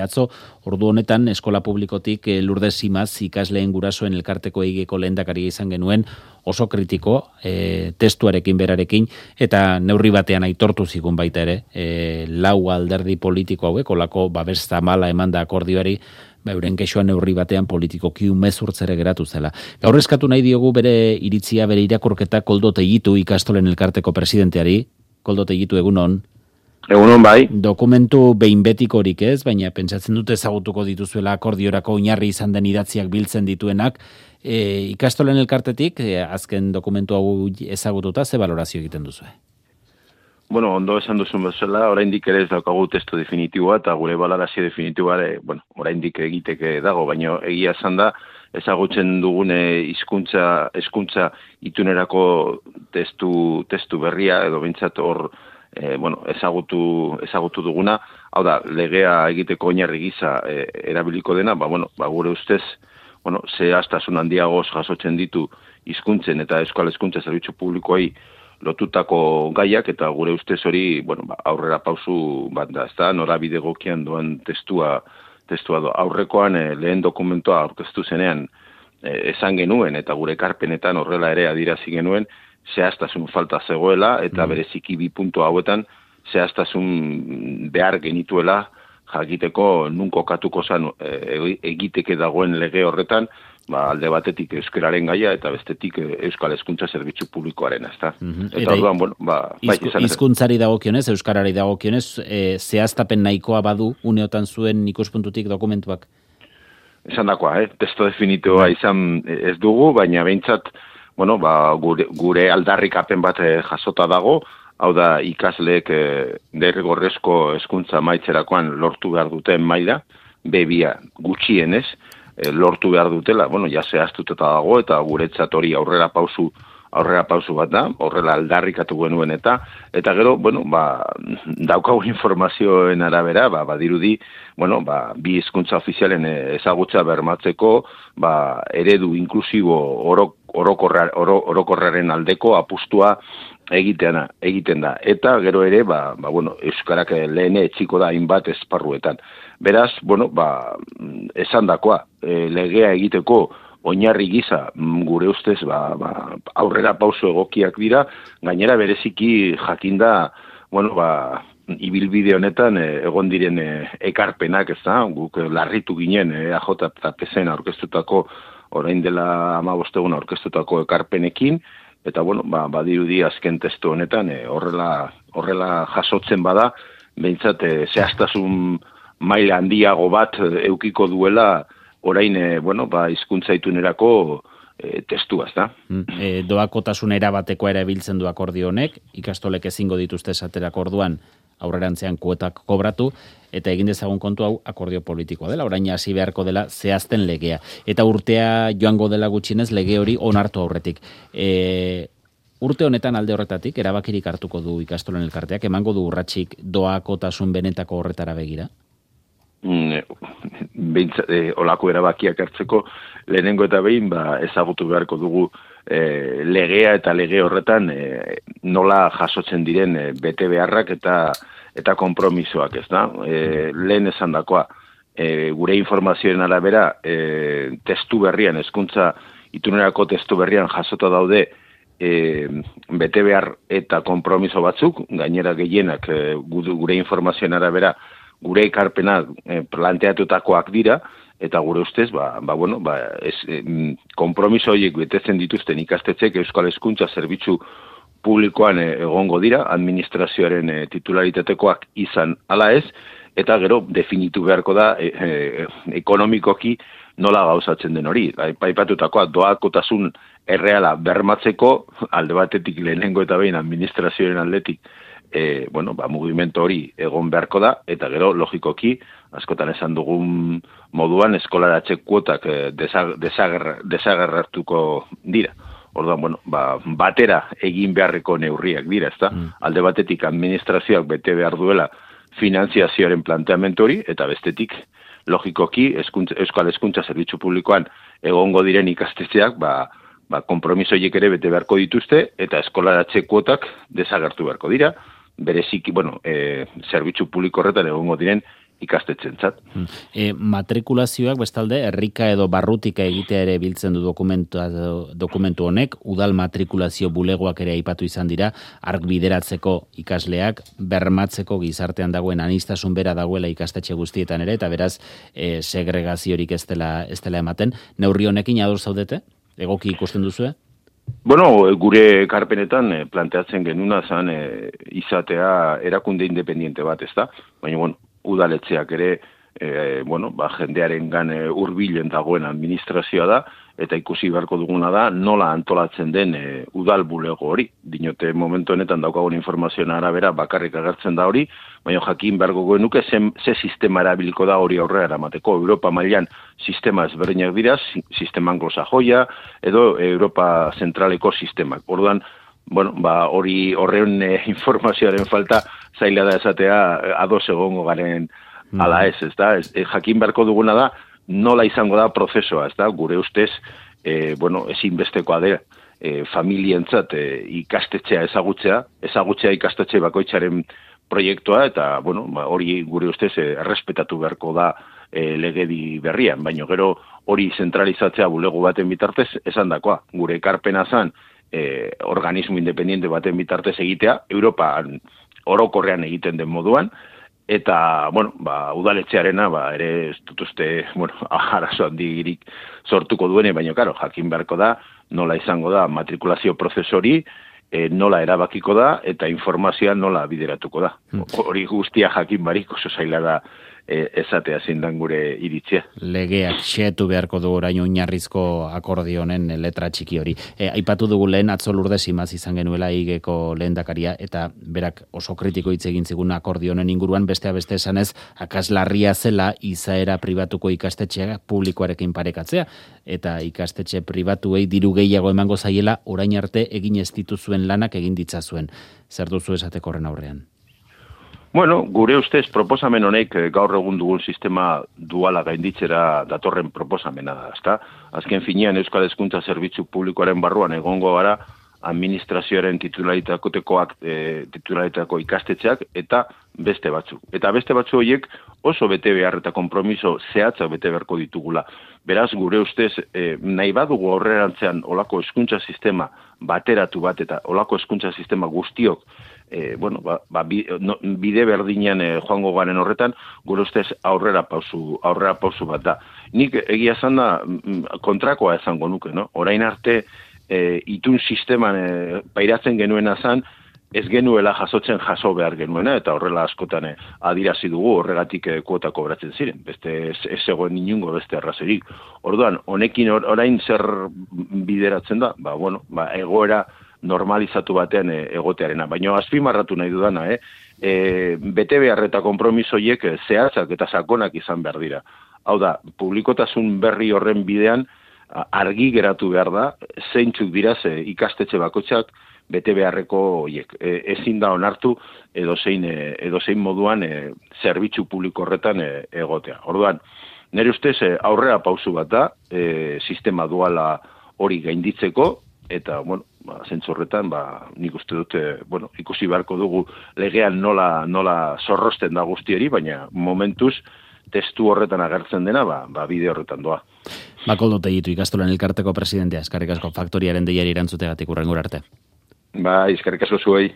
Atzo, ordu honetan, eskola publikotik Lourdes Simaz ikasleen gurasoen elkarteko egiko lehendakaria izan genuen oso kritiko, testuarekin berarekin, eta neurri batean aitortu zigun baita ere, lau alderdi politiko hauek, olako babes zamala emanda akordioari, euren kexoan neurri batean politikoki umezurtzere geratu zela. Gaur eskatu nahi diogu bere iritzia, bere irakurketa Koldo Tegitu ikastolen elkarteko presidenteari. Koldo Tegitu, egunon. Egunon bai. Dokumentu behin betikorik ez, baina pentsatzen dute ezagutuko dituzuela akordiorako oinarri izan den idatziak biltzen dituenak. Ikastolen elkartetik, azken dokumentu hau ezagututa, ze balorazio egiten duzu? Bueno, ondo esan duzun bezala, oraindik ere ez daukagu testu definitiboa, eta gure balorazio definitiboa oraindik egiteke dago, baina egia esan da, ezagutzen dugune hizkuntza itunerako testu berria, edo behintzat hor, ezagutu duguna, hau da, legea egiteko oinarri gisa erabiliko dena, gure ustez, zehaztasun handiagoz jasotzen ditu hizkuntzen eta euskal hezkuntza zerbitzu publikoei lotutako gaiak, eta gure ustez hori, aurrera pausu bat da, ezta, norabide egokian doan testua aurrekoan lehen dokumentua aurkeztu zenean esan genuen, eta gure ekarpenetan horrela ere adierazi genuen, zehaztasun falta zegoela, eta bereziki bi puntu hauetan zehaztasun behar genituela jakiteko nun kokatuko zan egiteke dagoen lege horretan, alde batetik euskararen gaia eta bestetik euskal hezkuntza zerbitzu publikoaren, ezta. Eta orduan, hizkuntzari dagokionez, euskarari dagokionez, zehaztapen nahikoa badu uneotan zuen ikuspuntutik dokumentuak? Esan dakoa, testo definitoa izan ez dugu, baina behintzat gure aldarrikapen bat jasota dago, hau da ikasleek derrigorrezko hezkuntza maitzerakoan lortu behar duten maila, B2 gutxienez, lortu behar dutela, ja zehaztuta dago, eta guretzat hori aurrera pausu bat da, horrela aldarrikatu genuen eta gero, daukagu informazioen arabera, badirudi, bi hizkuntza ofizialen ezagutza bermatzeko, eredu inklusibo orokorraren aldeko apustua egiten da. Eta gero ere, euskarak lehen etxiko da hainbat esparruetan. Beraz, esan dakoa, legea egiteko oinarri gisa gure ustez aurrera pauso egokiak dira, gainera bereziki jakinda, ibilbide honetan egon diren ekarpenak, ez da, guk larritu ginen AJ eta PSN aurkeztutako, orain dela 15 egun aurkeztutako ekarpenekin, eta badirudi azken testu honetan horrela jasotzen bada, behintzat zehaztasun maila handiago bat eukiko duela orain, hizkuntza itunerako testua, ezta? Doakotasun erabatekoa erabiltzen du akordio honek, ikastolek ezingo dituzte esaterako orduan aurrerantzean kuotak kobratu, eta egin dezagun kontu hau akordio politikoa dela, orain hasi beharko dela zehazten legea. Eta urtea joango dela gutxienez lege hori onartu aurretik. Urte honetan alde horretatik, erabakirik hartuko du ikastolen elkarteak, emango du urratsik doakotasun benetako horretara begira? Olako erabakiak hartzeko lehenengo eta behin ezagutu beharko dugu legea eta lege horretan nola jasotzen diren bete beharrak eta konpromisoak, ez da? Lehen esan dakoa, gure informazioen arabera testu berrian, hezkuntza itunerako testu berrian jasota daude bete behar eta konpromiso batzuk, gainera gehienak gure informazioen arabera gure ekarpena planteatutakoak dira, eta gure ustez, konpromiso horiek betetzen dituzten ikastetxek euskal hezkuntza zerbitzu publikoan egongo dira, administrazioaren titularitateko izan ala ez, eta gero definitu beharko da ekonomikoki nola gauzatzen den hori. Aipatutakoa doakotasun erreala bermatzeko, alde batetik lehenengo eta behin administrazioaren aldetik, mugimendu hori egon beharko da, eta gero logikoki, askotan esan dugun moduan, eskolaratze kuotak desagerrartuko dira. Orduan, batera egin beharreko neurriak dira, ezta? Alde batetik administrazioak bete behar duela finanziazioaren planteamendu hori, eta bestetik, logikoki, euskal hezkuntza zerbitzu publikoan egongo diren ikastetxeak, konpromiso horiek ere bete beharko dituzte, eta eskolaratze kuotak desagertu beharko dira, bereziki, zerbitzu publiko horretan egongo diren ikastetxentzat. Matrikulazioak bestalde herrika edo barrutika egitea ere biltzen du dokumentu honek, udal matrikulazio bulegoak ere aipatu izan dira, ark bideratzeko ikasleak, bermatzeko gizartean dagoen anistasun bera dagoela ikastetxe guztietan ere, eta beraz segregaziorik ez dela ematen. Neurri honekin ados zaudete? Egoki ikusten duzue? Bueno, gure ekarpenetan planteatzen genuna zan izatea erakunde independiente bat, ezta? Baina, bueno, udaletxeak ere, jendearen gan hurbilen dagoen administrazioa da, eta ikusi beharko duguna da, nola antolatzen den udal bulego hori. Dinote, momentu honetan daukagun informazioen arabera bakarrik agertzen da hori, baina jakin beharko genuke ze sistema erabiliko da hori aurrera eramateko. Europa mailan sistema ezberdinak dira, sistema anglosajoia, edo Europa zentraleko sistemak. Orduan, horren informazioaren falta zaila da esatea ados egongo garen ala ez da? Jakin beharko duguna da, nola izango da prozesua, ez da? Gure ustez, ezinbestekoa da, familientzat ikastetxea ezagutzea ikastetxe bakoitzaren proiektua, eta, hori gure ustez errespetatu beharko da legedi berrian, baina gero hori zentralizatzea bulego baten bitartez, esan dakoa, gure ekarpena zan, organismo independiente baten bitartez egitea, Europan orokorrean egiten den moduan, eta, udaletxearena, ere ez dut uste, arazo handirik sortuko duene, baina, jakin beharko da, nola izango da matrikulazio prozesori, nola erabakiko da, eta informazioa nola bideratuko da. Hori guztia jakin barik oso zaila da esatea zindan gure iritzia. Legeak xetu beharko du orain oinarrizko akordio honen letra txiki hori. Aipatu dugu lehen atzo Lourdes Imaz izan genuela igeko lehendakaria, eta berak oso kritiko hitz egin zigun akordio honen inguruan, beste esanez, akaslarria zela izaera pribatuko ikastetxeak publikoarekin parekatzea, eta ikastetxe pribatuei diru gehiago emango zaiela orain arte egin ez dituzuen lanak egin ditzazuen. Zer duzu esateko horren aurrean? Gure ustez proposamen honek gaur egun dugun sistema duala gainditzera datorren proposamena da, ezta? Azken finean Euskal Hezkuntza Zerbitzu Publikoaren barruan egongo gara administrazioaren titularitateko ikastetxeak eta beste batzuk. Eta beste batzu horiek oso bete behar eta konpromiso zehatzak bete beharko ditugula. Beraz, gure ustez, nahi badugu aurrerantzean olako hezkuntza sistema bateratu bat eta olako hezkuntza sistema guztiok bide berdinean joango garen horretan, gure ustez aurrera pausu bat da. Nik egia esan da kontrakoa esango nuke, no? Orain arte itun sisteman pairatzen genuena zan, ez genuela jaso behar genuena, eta horrela askotan adirazi dugu horregatik kuota kobratzen ziren. Beste ez zegoen inungo beste arrazorik. Orduan, honekin orain zer bideratzen da? Egoera normalizatu batean egotearena. Baina azpimarratu nahi dudana, bete behar eta konpromisoiek zehatzak eta sakonak izan behar dira. Hau da, publikotasun berri horren bidean argi geratu behar da, zeintzuk dira ikastetxe bakoitzak bete beharreko horiek. Ezin da onartu edozein moduan zerbitzu publiko horretan egotea. Orduan, nire ustez aurrera pausu bat da, sistema duala hori gainditzeko, eta, zentzu horretan, nik uste dut, ikusi beharko dugu legean nola zorrosten da guztieri, baina momentuz testu horretan agertzen dena, bide horretan doa. Koldo Tellitu, ikastolan elkarteko presidentea, eskerrik asko Faktoriaren deiari erantzutegatik hurrengora arte. Eskerrik asko zuei.